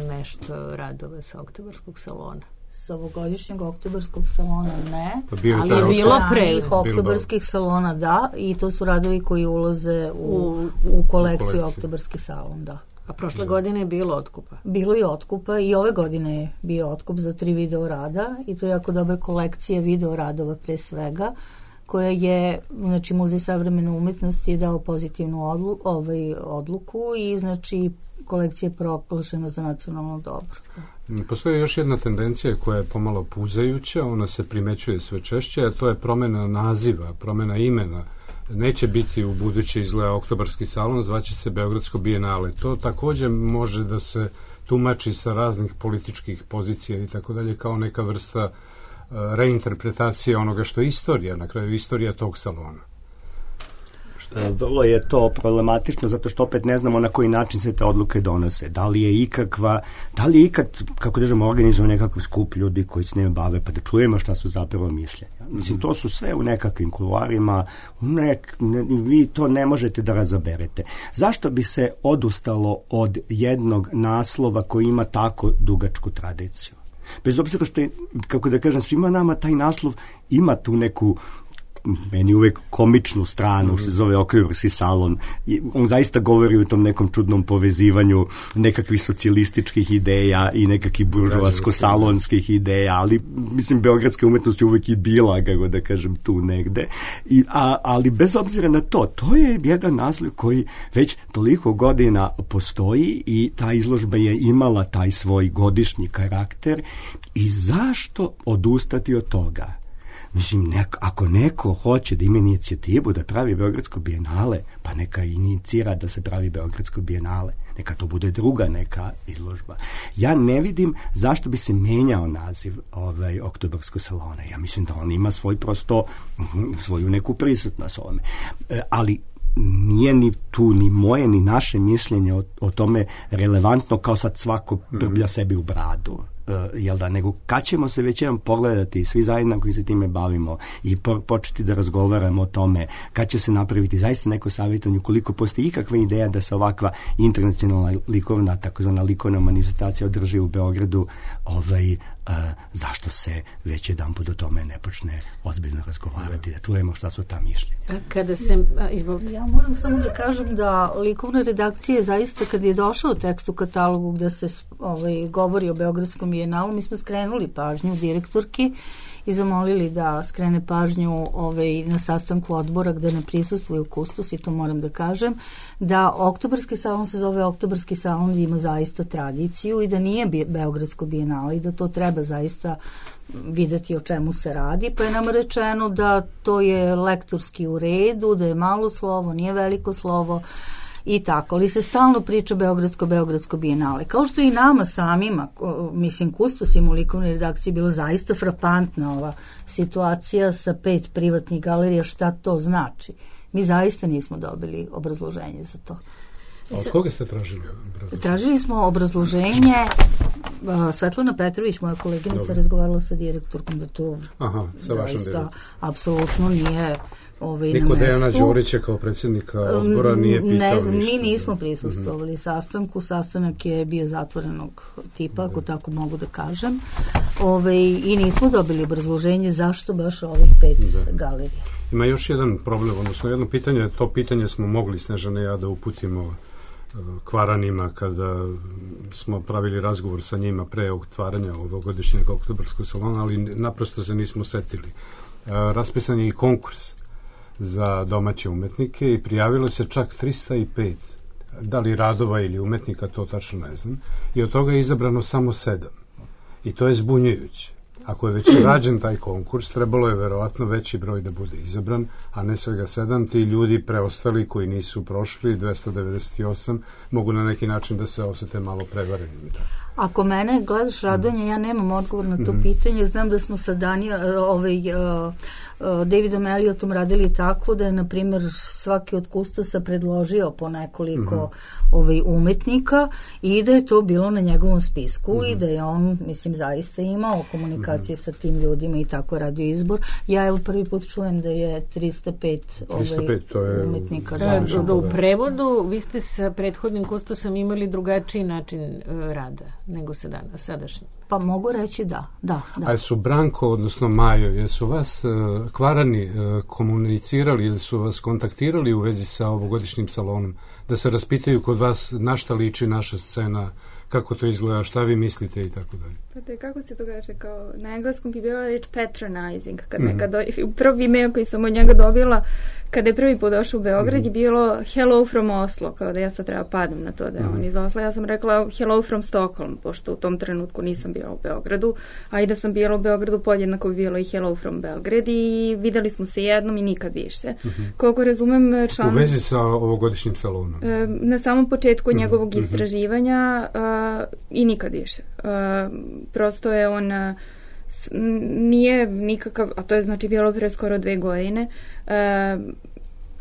nešto radova sa Oktobarskog salona? S ovogodišnjeg Oktobarskog salona ne, ali je bilo pre Oktobarskih salona da, i to su radovi koji ulaze u kolekciju Oktobarski salon, da. A prošle godine je bilo otkupa? Bilo je otkupa i ove godine je bio otkup za 3 video rada i to je jako dobra kolekcija video radova pre svega, koja je, znači Muzej savremene umetnosti je dao pozitivnu odluku i znači kolekcija je proglašena za nacionalno dobro. Postoji još jedna tendencija koja je pomalo puzajuća, ona se primećuje sve češće, a to je promjena naziva, promjena imena. Neće biti u buduće izgleda Oktobarski salon, zvaće se Beogradsko bijenale. To također može da se tumači sa raznih političkih pozicija i tako dalje, kao neka vrsta reinterpretacije onoga što je istorija, na kraju istorija tog salona. Vrlo je to problematično zato što opet ne znamo na koji način se te odluke donose. Da li je ikad, kako držimo, organizuju nekakav skup ljudi koji se ne bave, pa da čujemo šta su zapravo mišljenja. Mislim, to su sve u nekakvim kuloarima, vi to ne možete da razaberete. Zašto bi se odustalo od jednog naslova koji ima tako dugačku tradiciju? Bez obzira što je, kako da kažem, svima nama taj naslov ima tu neku, meni uvek komičnu stranu, što se zove Oktobarski salon. On zaista govori o tom nekom čudnom povezivanju nekakvih socijalističkih ideja i nekakvih buržoasko-salonskih ideja, ali mislim, beogradska umetnost je uvek i bila, kako da kažem, tu negde. Ali bez obzira na to, to je jedan naslov koji već toliko godina postoji i ta izložba je imala taj svoj godišnji karakter i zašto odustati od toga? Mislim, ako neko hoće da ima inicijativu da pravi Beogradsko bijenale, pa neka inicira da se pravi Beogradsko bijenale. Neka to bude druga neka izložba. Ja ne vidim zašto bi se menjao naziv Oktobarskog salona. Ja mislim da on ima svoju neku prisutnost ovome. Ali nije ni tu ni moje ni naše mišljenje o tome relevantno kao sad svako brblja sebi u bradu. Jel da, nego kad ćemo se već jedan pogledati svi zajedno koji se time bavimo i početi da razgovaramo o tome, kad će se napraviti zaista neko savjetovanje, ukoliko postoji ikakva ideja da se ovakva internacionalna likovna, takozvana likovna manifestacija održi u Beogradu, zašto se već jedan put o tome ne počne ozbiljno razgovarati, da čujemo šta su ta mišljenja. Kada se, ja moram samo da kažem da likovna redakcija zaista, kad je došao tekst u katalogu gde se govori o Beogradskom bijenalu, mi smo skrenuli pažnju direktorki i zamolili da skrene pažnju na sastanku odbora gde ne prisustvuju kustos, i to moram da kažem, da Oktobarski salon se zove Oktobarski salon i ima zaista tradiciju i da nije Beogradsko bijenale i da to treba zaista videti o čemu se radi, pa je nam rečeno da to je lektorski u redu, da je malo slovo, nije veliko slovo i tako, ali se stalno priča Beogradsko bijenale. Kao što i nama samima, mislim, kustosima u likovnoj redakciji bilo zaista frapantna ova situacija sa 5 privatnih galerija, šta to znači. Mi zaista nismo dobili obrazloženje za to. A od koga ste tražili obrazloženje? Tražili smo obrazloženje, Svetlana Petrović, moja koleginica, razgovarala sa direktorkom da to zaista apsolutno nije niko Dejana Đurića kao predsjednika odbora nije pitao ne znam, ništa. Mi nismo prisustvovali sastanku, sastanak je bio zatvorenog tipa, ako tako mogu da kažem, i nismo dobili obrazloženje zašto baš ovih 5 galerija. Ima još jedan problem, odnosno jedno pitanje, to pitanje smo mogli Snežana i ja da uputimo Kvaranima kada smo pravili razgovor sa njima pre otvaranja ovogodišnjeg Oktobarskog salona, ali naprosto se nismo setili. raspisan je i konkurs za domaće umetnike i prijavilo se čak 305, da li radova ili umetnika, to tačno ne znam, i od toga je izabrano samo 7. I to je zbunjujuće. Ako je već rađen taj konkurs, trebalo je verovatno veći broj da bude izabran, a ne svega 7. Ti ljudi preostali koji nisu prošli, 298, mogu na neki način da se osete malo prevarenim. Ako mene gledaš, Radonja, ja nemam odgovor na to pitanje. Znam da smo sa Davidom Elliotom radili tako da je, na primjer, svaki od kustosa predložio po nekoliko umetnika i da je to bilo na njegovom spisku i da je on, mislim, zaista imao komunikacije sa tim ljudima i tako radio izbor. Ja evo prvi put čujem da je 305 umetnika. U prevodu vi ste sa prethodnim kustosom imali drugačiji način rada nego sadašnji. Pa mogu reći da. A su Branko, odnosno Majo, jesu vas Kvarani komunicirali ili su vas kontaktirali u vezi sa ovogodišnjim salonom, da se raspitaju kod vas na šta liči naša scena, kako to izgleda, šta vi mislite i tako dalje? Pa te, kako se to kaže, kao na engleskom bi bila reč patronizing, prvi email koji sam od njega dobila kada je prvi put došao u Beograd je bilo hello from Oslo, kao da ja sad treba padnem na to da je on iz Osla. Ja sam rekla hello from Stockholm, pošto u tom trenutku nisam bila u Beogradu, a i da sam bila u Beogradu podjednako bi bilo i hello from Belgrade i videli smo se jednom i nikad više. Koliko razumem u vezi sa ovogodišnjim salonom? Na samom početku njegovog istraživanja i nikad više. Prosto je on nije nikakav, a to je znači bilo pre skoro 2 godine,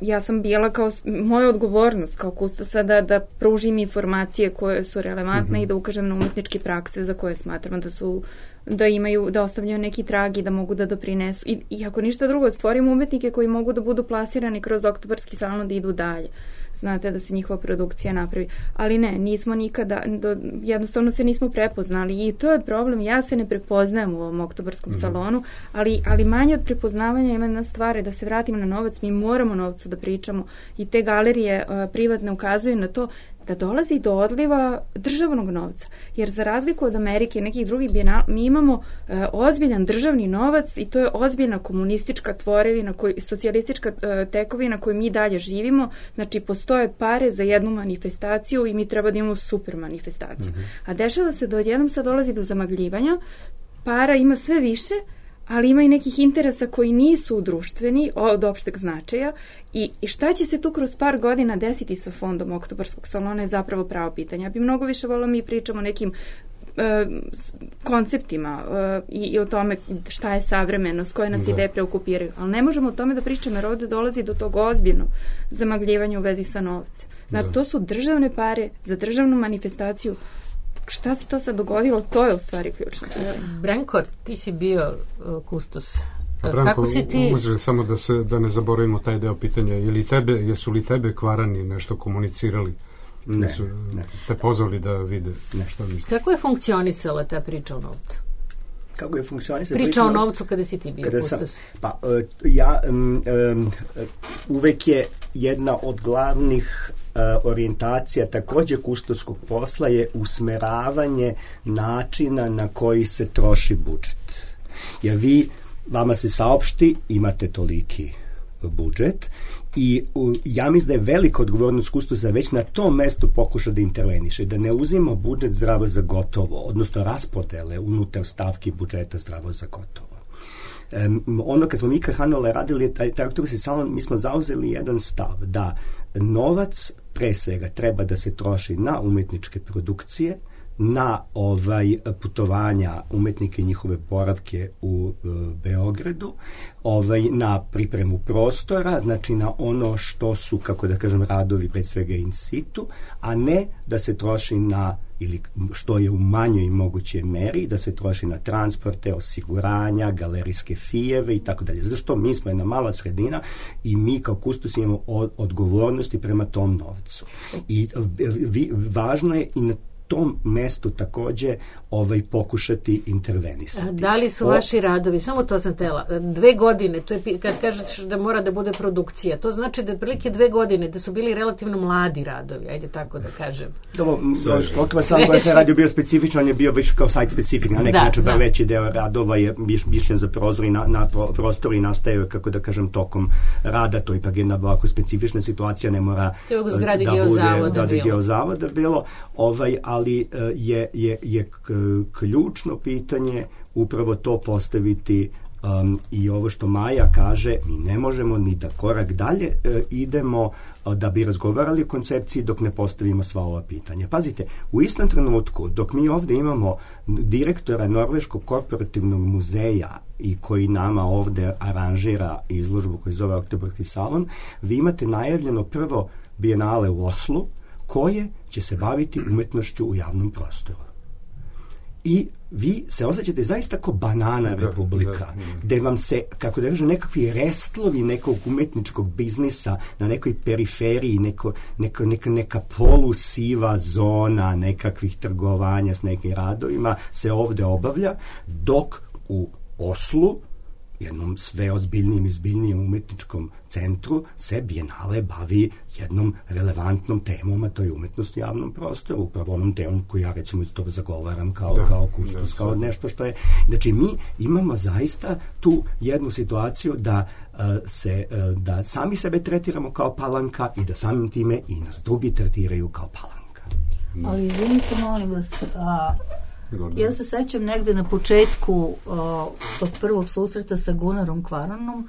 ja sam bila kao, moja odgovornost kao kustosa da pružim informacije koje su relevantne i da ukažem na umetničke prakse za koje smatram da ostavljaju neki trag i da mogu da doprinesu. I ako ništa drugo, stvorim umetnike koji mogu da budu plasirani kroz oktobarski salon da idu dalje. Znate, da se njihova produkcija napravi. Ali ne, nismo nikada, jednostavno se nismo prepoznali i to je problem. Ja se ne prepoznajem u ovom oktobarskom salonu, ali manje od prepoznavanja ima jedna stvar, da se vratim na novac, mi moramo novcu da pričamo i te galerije privatne ukazuju na to da dolazi do odliva državnog novca. Jer za razliku od Amerike i nekih drugih bijenala, mi imamo ozbiljan državni novac i to je ozbiljna komunistička tvorevina, socijalistička tekovina koju mi dalje živimo. Znači, postoje pare za jednu manifestaciju i mi treba da imamo super manifestaciju. A dešava se da odjednom sad dolazi do zamagljivanja, para ima sve više, ali ima i nekih interesa koji nisu društveni, od opšteg značaja i šta će se tu kroz par godina desiti sa fondom oktobarskog salona je zapravo pravo pitanje. Ja bi mnogo više volila mi pričamo o nekim konceptima i o tome šta je savremenost, koje nas ideje preokupiraju, ali ne možemo o tome da pričamo jer ovde dolazi do tog ozbiljnog zamagljivanja u vezi sa novcem. Znači, to su državne pare za državnu manifestaciju. Šta se to sad dogodilo, to je u stvari ključno. Branko, ti si bio kustos. Branko, kako si ti... samo da ne zaboravimo taj deo pitanja, jesu li tebe Kvarani nešto komunicirali? Ne. Te pozvali da vide šta misliš? Kako je funkcionisala ta priča o novcu? Kako je funkcionisala priča o novcu kada si ti bio kustos? Uvek je jedna od glavnih orijentacija također kustoskog posla je usmeravanje načina na koji se troši budžet. Jer vama se saopšti, imate toliki budžet i ja mislim da je velika odgovornost kustosa već na tom mestu pokuša da interveniše, da ne uzima budžet zdravo za gotovo, odnosno raspodele unutar stavki budžeta zdravo za gotovo. Kad smo mi Hanole radili taj oktobarski salon, mi smo zauzeli jedan stav da novac pre svega treba da se troši na umetničke produkcije, na putovanja umetnike i njihove boravke u Beogradu, na pripremu prostora, znači na ono što su, kako da kažem, radovi pred svega in situ, a ne da se troši na, ili što je u manjoj i mogućoj meri, da se troši na transporte, osiguranja, galerijske fijeve i tako dalje. Zato što mi smo jedna mala sredina i mi kao kustos imamo odgovornosti prema tom novcu. I važno je i na tom mestu takođe pokušati intervenisati. Da li su vaši radovi, samo to sam tela, 2 godine, to je kad kažeš da mora da bude produkcija, to znači da otprilike 2 godine, da su bili relativno mladi radovi, ajde tako da kažem. Okva sam koja se radio bio specifičan, on je bio već kao site specific, na neki način veći deo radova je mišljen za prozor i na prostoru i nastaje, kako da kažem, tokom rada, to ipak jedna ovako specifična situacija, ne mora da bude geozavoda bilo, ali je ključno pitanje upravo to postaviti i ovo što Maja kaže, mi ne možemo ni da korak dalje idemo da bi razgovarali o koncepciji dok ne postavimo sva ova pitanja. Pazite, u istom trenutku dok mi ovde imamo direktora Norveškog korporativnog muzeja i koji nama ovde aranžira izložbu koji zove Oktobarski salon, vi imate najavljeno prvo bijenale u Oslu koje će se baviti umetnošću u javnom prostoru. I vi se osjećate zaista kao banana republika, gde vam se, kako da kažem, nekakvi restlovi nekog umetničkog biznisa na nekoj periferiji, neka polusiva zona nekakvih trgovanja s nekim radovima se ovde obavlja, dok u Oslu, jednom sve ozbiljnijim i zbiljnijim umetničkom centru, se bijenale bavi jednom relevantnom temom, a to je umetnost u javnom prostoru, upravo onom temom koju ja recimo to zagovaram kao kustos, kao nešto što je... Znači, mi imamo zaista tu jednu situaciju da sami sebe tretiramo kao palanka i da samim time i nas drugi tretiraju kao palanka. Ali izvinite, molim vas, ja se sećam negde na početku tog prvog susreta sa Gunarom Kvaranom,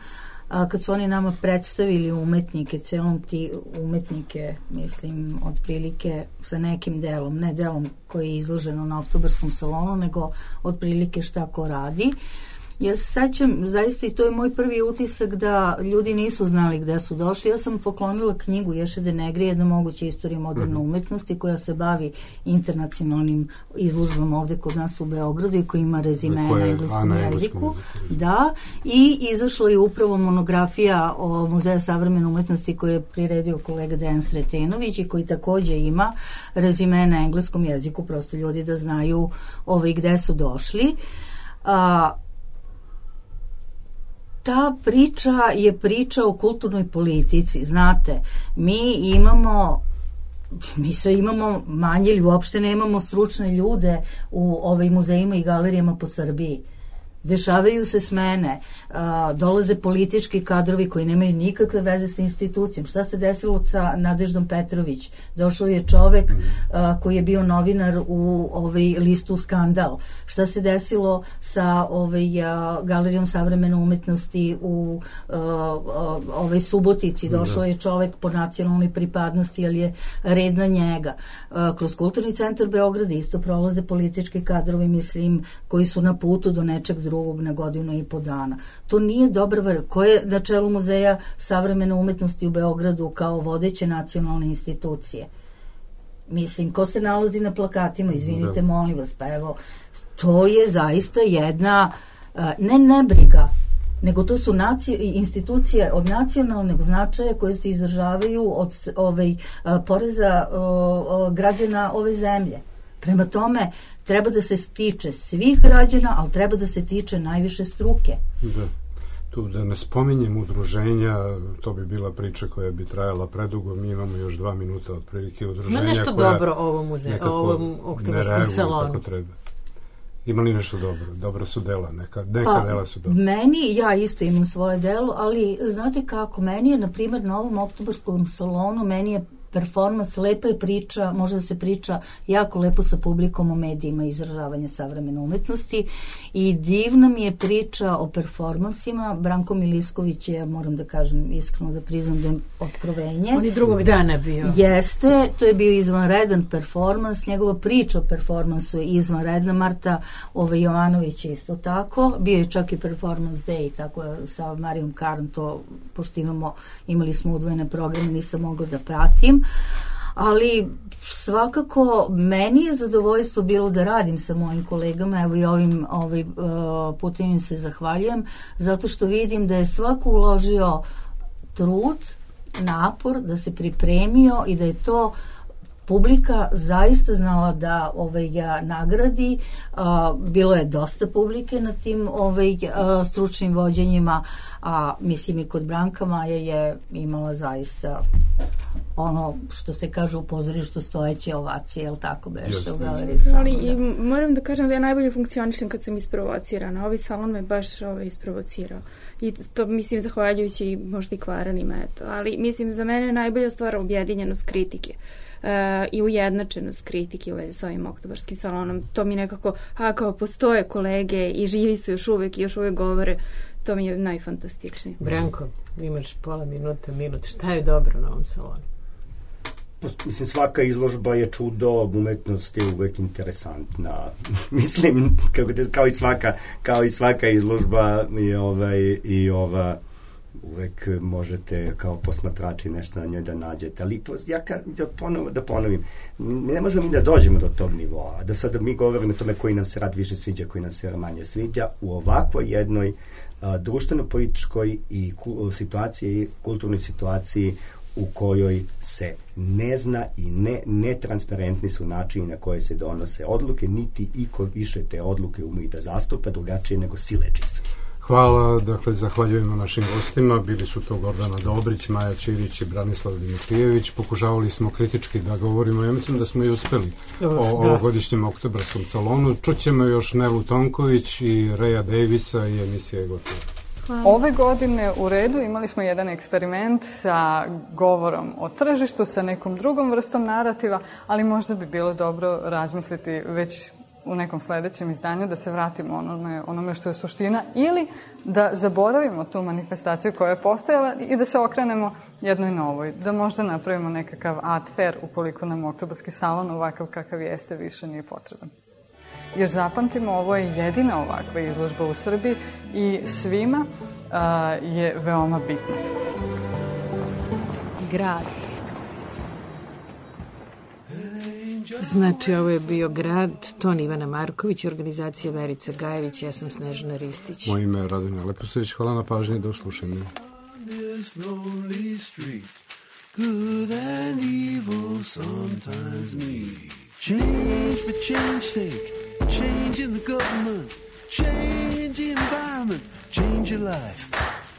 kad su oni nama predstavili umetnike, celom ti umetnike, mislim, otprilike sa nekim delom, ne delom koji je izloženo na Oktobarskom salonu, nego otprilike šta ko radi. Ja se sećam, zaista i to je moj prvi utisak da ljudi nisu znali gde su došli. Ja sam poklonila knjigu Ješe de Negri, jedna moguća istorija moderne umetnosti koja se bavi internacionalnim izložbama ovde kod nas u Beogradu i koja ima rezime na engleskom jeziku. Da, i izašla je upravo monografija o Muzeja savremene umetnosti koju je priredio kolega Dejan Sretenović i koji takođe ima rezime na engleskom jeziku, prosto ljudi da znaju gde su došli. Ta priča je priča o kulturnoj politici. Znate, mi sve imamo manje ili uopšte nemamo stručne ljude u muzejima i galerijama po Srbiji. Dešavaju se smene, dolaze politički kadrovi koji nemaju nikakve veze sa institucijom. Šta se desilo sa Nadeždom Petrović? Došao je čovek koji je bio novinar u listu Skandal. Šta se desilo sa Galerijom savremene umetnosti u Subotici? Došao je čovek po nacionalnoj pripadnosti, ali je red na njega. Kroz Kulturni centar Beograda isto prolaze politički kadrovi, mislim, koji su na putu do nečeg drugog na 1.5 godina. To nije dobra ko je na čelu Muzeja savremene umetnosti u Beogradu kao vodeće nacionalne institucije? Mislim, ko se nalazi na plakatima? Izvinite, molim vas, pa evo, to je zaista jedna ne nebriga, nego to su institucije od nacionalnog značaja koje se izdržavaju od poreza građana ove zemlje. Prema tome, treba da se tiče svih građana, ali treba da se tiče najviše struke. Da. Tu da ne spominjem udruženja, to bi bila priča koja bi trajala predugo, mi imamo još 2 minuta otprilike udruženja. Ima nešto dobro ovom Oktobarskom salonu? Kako treba. Ima li nešto dobro? Dobra su dela, neka dela su dobra. Meni, ja isto imam svoje delo, ali znate kako, meni je, na primjer, na ovom Oktobarskom salonu, meni je performans, lepa je priča, može da se priča jako lepo sa publikom o medijima i izražavanja savremene umetnosti i divna mi je priča o performansima. Branko Milisković je, moram da kažem iskreno, da priznam da je otkrovenje. On je drugog dana bio. Jeste, to je bio izvanredan performans, njegova priča o performansu je izvanredna. Marta Jovanović je isto tako, bio je čak i performance day, tako sa Marijom Karn, to pošto imali smo udvojene programe, nisam mogla da pratim. Ali svakako meni je zadovoljstvo bilo da radim sa mojim kolegama, evo i ovim putem im se zahvaljujem, zato što vidim da je svako uložio trud, napor, da se pripremio i da je to publika zaista znala da ga nagradi. Bilo je dosta publike na tim stručnim vođenjima, a mislim i kod Branka Maja je imala zaista ono što se kaže u pozorištu stojeće ovacije, jel tako beše u galeriji Salon? Ali i moram da kažem da ja najbolje funkcionišem kad sam isprovocirana. Ovaj salon me baš isprovocirao. I to mislim zahvaljujući možda i Kvaranima, eto. Ali mislim za mene je najbolja stvar objedinjenost kritike. I ujednačenost kritike u vezi s ovim oktobarskim salonom. To mi nekako, kao postoje kolege i živi su još uvek i još uvek govore, to mi je najfantastičnije. Branko, imaš pola minuta, minut. Šta je dobro na ovom salonu? Mislim, svaka izložba je čudo, umetnost je uvek interesantna. Mislim, kao i svaka izložba i ova uvek možete kao posmatrači nešto na njoj da nađete, ali da ponovim, ne možemo mi da dođemo do tog nivoa, da sada mi govorimo o tome koji nam se rad više sviđa, koji nam se manje sviđa, u ovakvoj jednoj društveno-političkoj i situaciji, kulturnoj situaciji u kojoj se ne zna i netransparentni su načini na koje se donose odluke, niti iko više te odluke ume da zastupa drugačije nego siledžijski. Hvala, dakle, zahvaljujemo našim gostima, bili su to Gordana Dobrić, Maja Ćirić i Branislav Dimitrijević. Pokušavali smo kritički da govorimo, ja mislim da smo i uspeli o ovogodišnjem oktobarskom salonu. Čućemo još Nelu Tonković i Reja Davisa i emisija je gotova. Ove godine u Redu imali smo jedan eksperiment sa govorom o tržištu, sa nekom drugom vrstom narativa, ali možda bi bilo dobro razmisliti već u nekom sledećem izdanju da se vratimo onome što je suština ili da zaboravimo tu manifestaciju koja je postojala i da se okrenemo jednoj novoj, da možda napravimo nekakav art fair ukoliko nam oktobarski salon ovakav kakav jeste više nije potreban. Jer zapamtimo, ovo je jedina ovakva izložba u Srbiji i svima je veoma bitna. Grad. Znači, ovo je bio Grad, ton Ivana Marković, organizacija Verica Gajević, ja sam Snežana Ristić. Moje ime je Radonja Leposević, hvala na pažnji, do slušanja. Good and evil sometimes meet. Change for change's sake, change in the government, change the environment, change your life.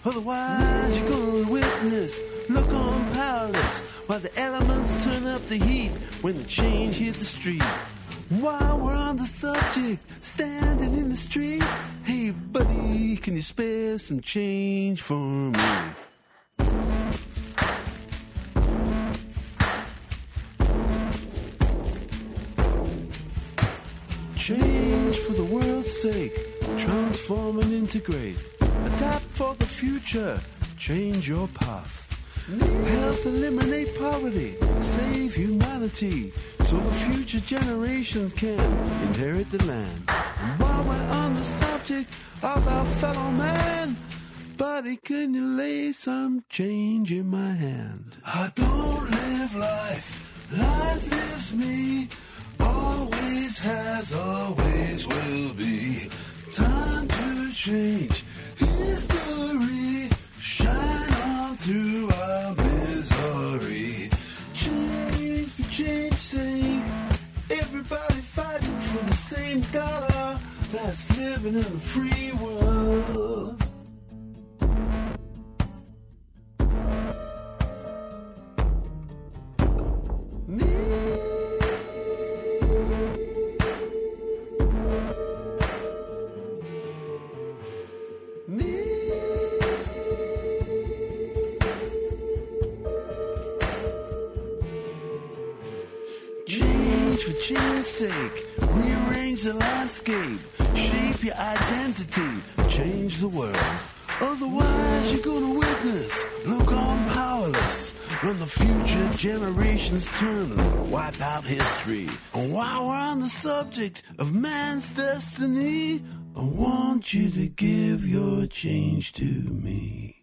Otherwise you're gonna witness, look on powerless, while the elements turn up the heat when the change hit the street. While we're on the subject, standing in the street, hey buddy, can you spare some change for me? Change for the world's sake, transform and integrate, adapt for the future, change your path. Help eliminate poverty, save humanity, so the future generations can inherit the land. And while we're on the subject of our fellow man, buddy, can you lay some change in my hand? I don't live life, life lives me. Always has, always will be. Time to change history. Shine on through our misery. Change for change's sake. Everybody fighting for the same dollar. That's living in a free world. For change's sake, rearrange the landscape, shape your identity, change the world. Otherwise you're gonna witness, look on powerless, when the future generations turn and wipe out history. And while we're on the subject of man's destiny, I want you to give your change to me.